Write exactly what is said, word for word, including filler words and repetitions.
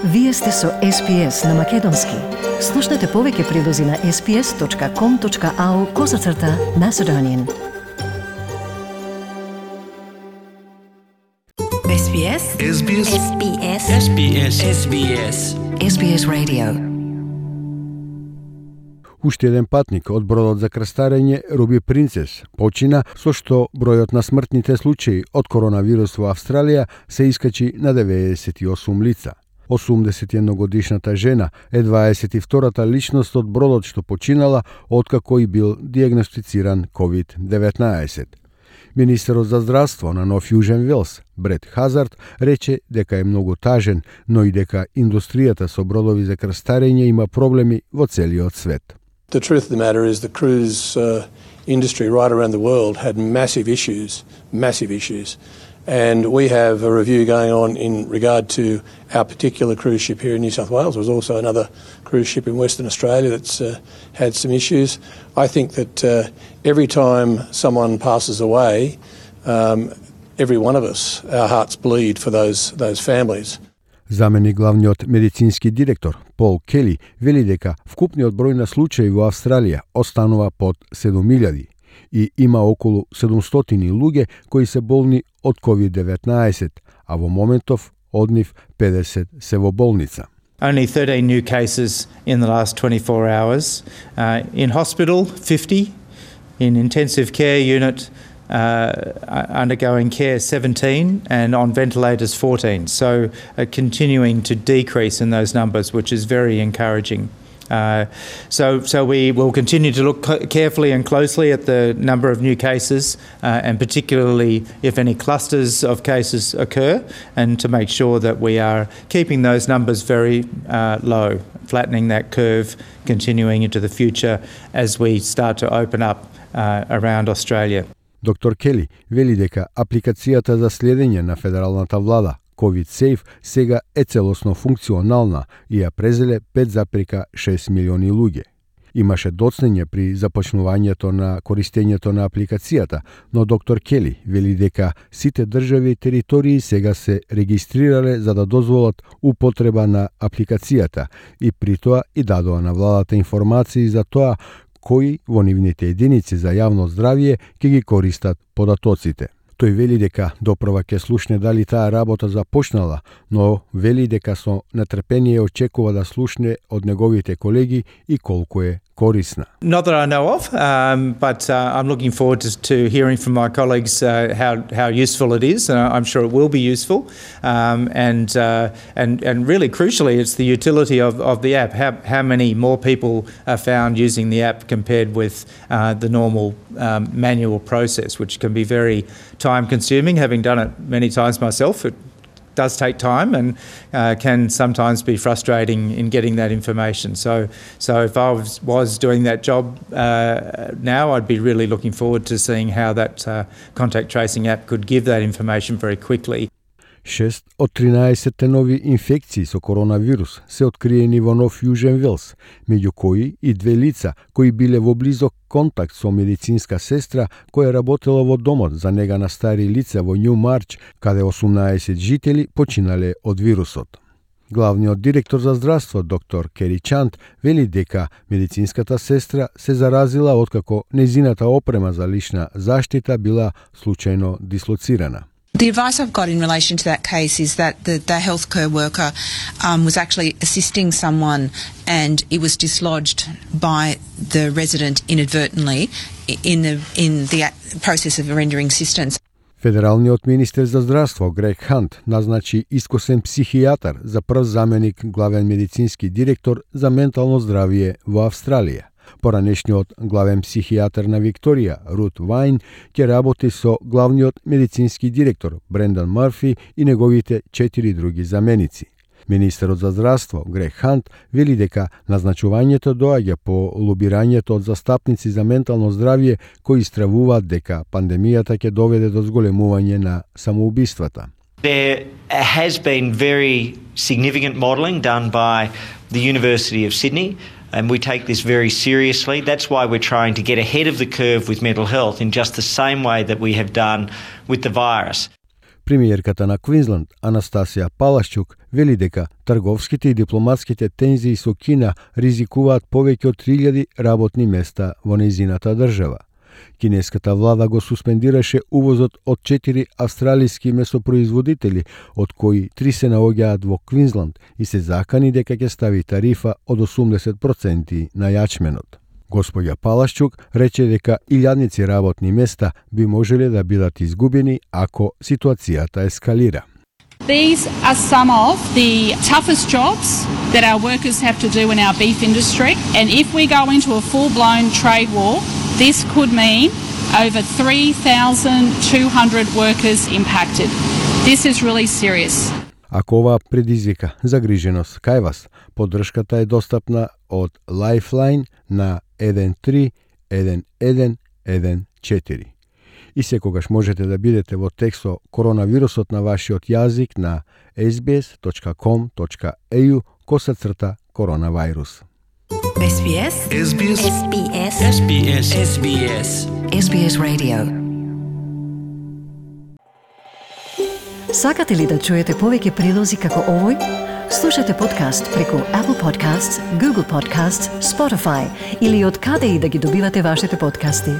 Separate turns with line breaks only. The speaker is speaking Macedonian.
Вие сте со Ес Би Ес на Македонски. Слушнете повеќе прилози на ес би ес точка ком точка ау козацрта Macedonian. Ес Би Ес.
Ес Би Ес.
Ес Би Ес.
Ес Би Ес. Ес Би Ес.
Ес Би Ес Radio.
Уште еден патник од бродот за крстарење Руби Принцес почина, со што бројот на смртните случаи од коронавирус во Австралија се искачи на деветдесет и осум лица. осумдесет и една годишната жена е дваесет и втората личност од бродот што починала откако и бил диагностициран ковид деветнаесет. Министерот за здравство на Нов Јужен Велс, Брет Хазард, рече дека е многу тажен, но и дека индустријата со бродови за крстарење има проблеми во целиот свет.
The truth of the matter is the cruise uh, industry right around the world had massive issues, massive issues. And we have a review going on in regard to our particular cruise ship here in New South Wales. There was also another cruise ship in Western Australia that's uh, had some issues. I think that uh, every time someone passes away, um, every one of us, our hearts bleed for those, those families.
Заменик главниот медицински директор Пол Кели вели дека вкупниот број на случаи во Австралија останува под седум илјади и има околу седумстотини луѓе кои се болни од ковид деветнаесет, а во моментов од нив педесет се во болница.
Only thirteen new cases in the last twenty-four hours. Uh, in hospital, fifty. In intensive care unit, uh, undergoing care, seventeen. And on ventilators, fourteen. So uh, continuing to decrease in those numbers, which is very encouraging. Uh, so, so we will continue to look carefully and closely at the number of new cases, uh, and particularly if any clusters of cases occur, and to make sure that we are keeping those numbers very uh, low, flattening that curve, continuing into the future as we start to open up uh, around Australia.
Доктор Кели вели дека апликацијата за следење на федералната влада COVID Safe сега е целосно функционална и ја презеле пет зарез и шест милиони луѓе. Имаше доцнење при започнувањето на користењето на апликацијата, но доктор Кели вели дека сите држави и територии сега се регистрирале за да дозволат употреба на апликацијата и при тоа и дадоа на владата информации за тоа кои во нивните единици за јавно здравје ќе ги користат податоците. Тој вели дека допрва ќе слушне дали таа работа започнала, но вели дека со нетрпение очекува да слушне од неговите колеги и колку е корисна.
Not that I know of, um, but uh, I'm looking forward to, to hearing from my colleagues uh, how how useful it is, and I'm sure it will be useful. Um, and uh, and and really crucially, it's the utility of, of the app. How how many more people are found using the app compared with uh, the normal um, manual process, which can be very time-consuming. Having done it many times myself, it does take time and uh, can sometimes be frustrating in getting that information. So, so if I was, was doing that job uh, now, I'd be really looking forward to seeing how that uh, contact tracing app could give that information very quickly.
Шест од тринаесет нови инфекции со коронавирус се откриени во Нов Јужен Велс, меѓу кои и две лица кои биле во близок контакт со медицинска сестра која работела во домот за нега на стари лица во Њумарч, каде осумнаесет жители починале од вирусот. Главниот директор за здравство, доктор Кери Чант, вели дека медицинската сестра се заразила откако незината опрема за лична заштита била случајно дислоцирана.
The advice I've got in relation to that case is that the, the healthcare worker um, was actually assisting someone and it was dislodged by the resident inadvertently in the, in the process of rendering assistance.
Федералниот министер за здравство Грег Хант назначи искусен психијатар за прв заменик главен медицински директор за ментално здравје во Австралија. Поранешниот главен психијатар на Викторија, Рут Вајн, ќе работи со главниот медицински директор Брендан Марфи и неговите четири други заменици. Министерот за здравство Грег Хант вели дека назначувањето доаѓа по лобирањето од застапници за ментално здравје кои стравуваат дека пандемијата ќе доведе до зголемување на самоубиствата.
There has been very significant modelling done by the University of Sydney, and we take this very seriously. That's why we're trying to get ahead of the curve with mental health in just the same way that we have done with the virus.
Премиерката на Квинсленд, Анастасија Палашчук, вели дека трговските и дипломатските тензии со Кина ризикуваат повеќе од три илјади работни места во нејзината држава. Кинеската влада го суспендираше увозот од четири австралиски месопроизводители, од кои три се наоѓаат во Квинсленд и се закани дека ќе стави тарифа од осумдесет проценти на јачменот. Господја Палашчук рече дека илјадници работни места би можеле да бидат изгубени ако ситуацијата ескалира.
These are some of the toughest jobs that our workers have to do in our beef industry, and if we go into a full-blown trade war, this could mean over three thousand two hundred workers impacted. This is really serious.
Ако ова предизвика загриженост кај вас, поддршката е достапна од Lifeline на еден три еден еден еден четири. И секогаш можете да бидете во текст со коронавирусот на вашиот јазик на ес би ес точка ком точка е ю косацрта коронавирус.
ес би ес
ес би ес
ес би ес
ес би ес ес би ес
ес би ес Radio. Сакате ли да чуете повеќе прилози како овој? Слушате подкаст преку Apple Podcasts, Google Podcasts, Spotify или од каде и да ги добивате вашите подкасти.